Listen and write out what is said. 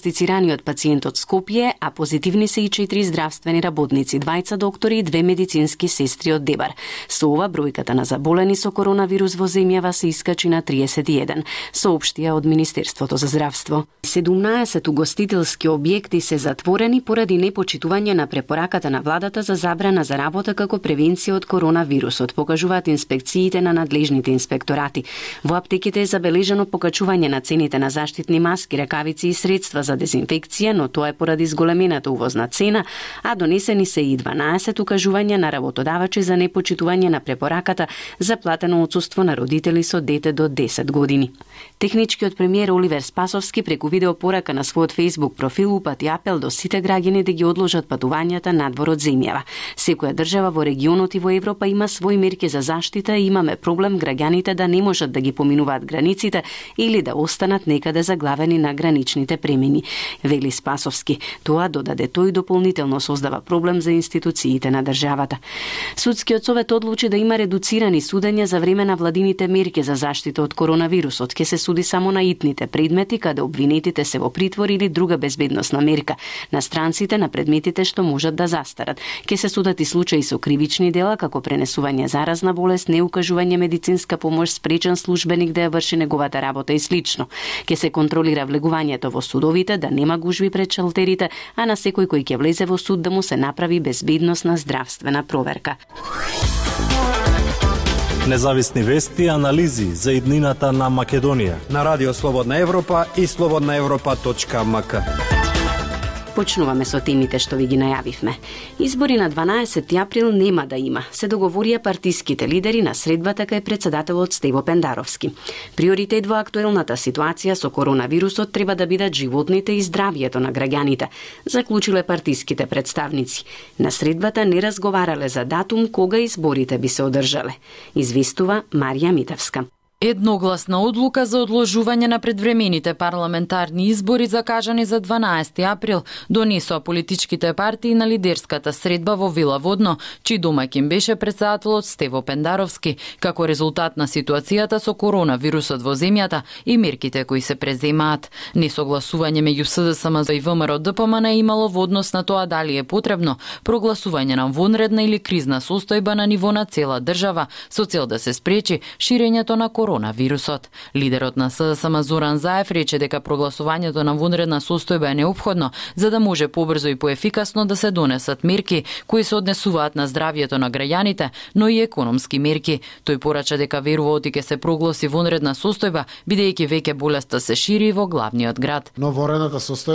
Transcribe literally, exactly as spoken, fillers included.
диагностицираниот пациент од Скопје, а позитивни се и четири здравствени работници, двајца доктори и две медицински сестри од Дебар. Со ова бројката на заболени со коронавирус во земјава се искачи на триесет и еден, соопштија од Министерството за здравство. седумнаесет угостителски објекти се затворени поради непочитување на препораката на владата за забрана за работа како превенција од коронавирусот, покажуваат инспекциите на надлежните инспекторати. Во аптеките е забележено покачување на цените на заштитни маски, ракавици и средства за дезинфекција, но тоа е поради зголемената увозна цена, а донесени се и дванаесет укажувања на работодавачи за непочитување на препораката за платено отсуство на родители со дете до десет години. Техничкиот премиер Оливер Спасовски преку видеопорака на својот Facebook профил упати апел до сите граѓани да ги одложат патувањата надвор од земјава. Секоја држава во регионот и во Европа има свои мерки за заштита и имаме проблем граѓаните да не можат да ги поминуваат границите или да останат некаде заглавени на граничните премини, вели Спасовски. Тоа, додаде тој, дополнително создава проблем за институциите на државата. Судскиот совет одлучи да има редуцирани судења за време на владините мерки за заштита од коронавирусот. Ке се суди само на итните предмети каде обвинетите се во притвор или друга безбедносна мерка. На странците на предметите што можат да застарат. Ке се судат и случаи со кривични дела како пренесување заразна болест, неукажување медицинска помош, спречен службеник да ја врши неговата работа и слично. Ке се контролира влегувањето во судовите, да нема гужви пред шалтерите, а на секој кој ќе влезе во суд да му се направи безбедносна здравствена проверка. Независни вести и анализи за иднината на Македонија на Радио Слободна Европа и слободна европа точка ем ка. Почнуваме со темите што ви ги најавивме. Избори на дванаесети април нема да има, се договорија партиските лидери на средбата кај председателот Стево Пендаровски. Приоритет во актуелната ситуација со коронавирусот треба да бидат животните и здравието на граѓаните, заклучиле партиските представници. На средбата не разговарале за датум кога изборите би се одржале, известува Марија Митевска. Едногласна одлука за одложување на предвремените парламентарни избори закажани за дванаесети април донесоа политичките партии на лидерската средба во Вила Водно, чиј домаќин беше председателот Стево Пендаровски, како резултат на ситуацијата со коронавирусот во земјата и мерките кои се преземаат. Несогласување меѓу СДСМ и ВМРО ДПМН е имало во однос на тоа дали е потребно прогласување на вонредна или кризна состојба на ниво на цела држава со цел да се спречи ширењето на коронавирусот. Лидерот на СДСМ Зоран Заев рече дека прогласувањето на вонредна состојба е неопходно за да може побрзо и поефикасно да се донесат мерки кои се однесуваат на здравието на граѓаните, но и економски мерки. Тој порача дека верува оти ќе се прогласи вонредна состојба, бидејќи веќе болеста се шири во главниот град. Но вонредната состојба